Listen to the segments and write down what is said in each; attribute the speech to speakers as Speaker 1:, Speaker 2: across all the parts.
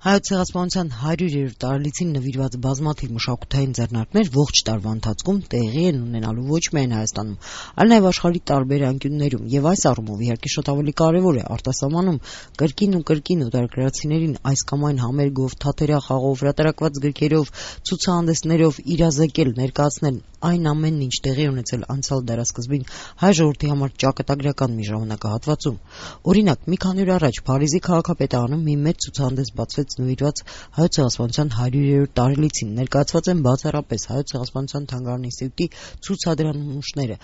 Speaker 1: Հայոց ցեղասպանության 100-րդ տարելիցին նվիրված բազմաթիվ մշակութային ձեռնարկներ ողջ տարվա ընթացքում տեղի են ունենալու ոչ միայն Հայաստանում, այլ նաև աշխարհի տարբեր անկյուններում, եւ այս առումով իհարկե շատ ավելի կարևոր է արտասահմանում կրկին օտարերկրացիներին այս կամ այն համերգով, թատերախաղով, հրատարակված գրքերով, ցուցահանդեսներով իրազեկել, ներկայացնել այն ամենն, ինչ տեղի ունեցել անցյալ դարասկզբին հայ ժողովրդի համար ճակատագրական մի ժամանակահատվածում։ Օրինակ, մի քանի օր առաջ Փարիզի քաղաքապետարանում մի մեծ ցուցահանդես բացվեց նվիրված Հայոց ցեղասպանության 100-րդ տարելիցին, ներկայացված են բացառապես Հայոց ցեղասպանության թանգարան ինստիտուտի ցուցադրանիշները։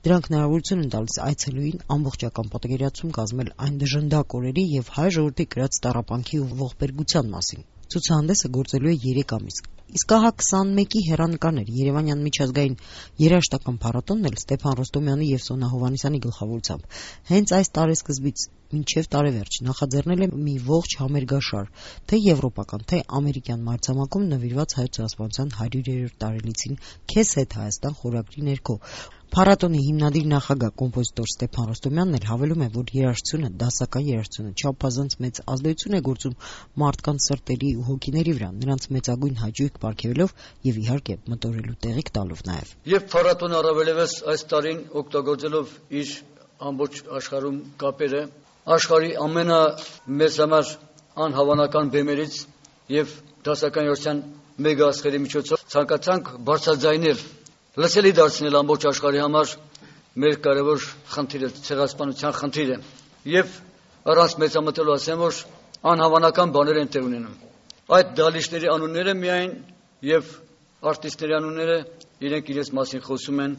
Speaker 1: Դրանք հնարավորություն են տալիս այցելուին ամբողջական պատկերացում կազմել այն դժնդակ օրերի եւ հայ ժողովրդի կրած տառապանքի ու ողբերգության մասին։ Ցուցահանդեսը գործելու է 3 ամիս։ Իսկ ահա 21-ի հեռանկարներ Երևանյան միջազգային երաժշտական փառատոնն էլ Ստեփան Ռոստոմյանի եւ Սոնա Հովհաննիսյանի գլխավորությամբ հենց այս տարեսկզբից մինչև տարեվերջ նախաձեռնել է մի ողջ համերգաշար, թե եվրոպական, թե ամերիկյան մայրցամաքում նվիրված Հայոց ցեղասպանության 100-րդ տարելիցին «Քեզ հետ Հայաստան» խորագրի ներքո։ Փառատոնի հիմնադիր նախագահ կոմպոզիտոր Ստեփան Ռոստոմյանն էլ հավելում է, որ երաժշտությունը, դասական երաժշտությունը չափազանց մեծ ազդեցություն է գործում մարդկանց սրտերի ու հոգիների վրա, նրանց մեծագույն հաճույք պարգևելով եւ իհարկե մտորելու տեղիք տալով նաեւ։
Speaker 2: Եվ փառատոնը առավելևս այս տարին օգտագործելով իր ամբողջ աշխարհում կապերը, աշխարհի ամենամեծ համար անհավանական բեմերից եւ դասական երաժշտության մեգա աստղերի միջոցով ցանկացանք բարձրաձայնել, լսելի դարձնել ամբողջ աշխարհի համար մեր կարևոր խնդիրը, ցեղասպանության խնդիրը։ Եվ առանց մեծամտելու ասեմ, որ անհավանական բաներ են տեղ ունենում։ Այդ դալիչների անունները միայն եւ արտիստների անունները իրենք իրենց մասին խոսում են։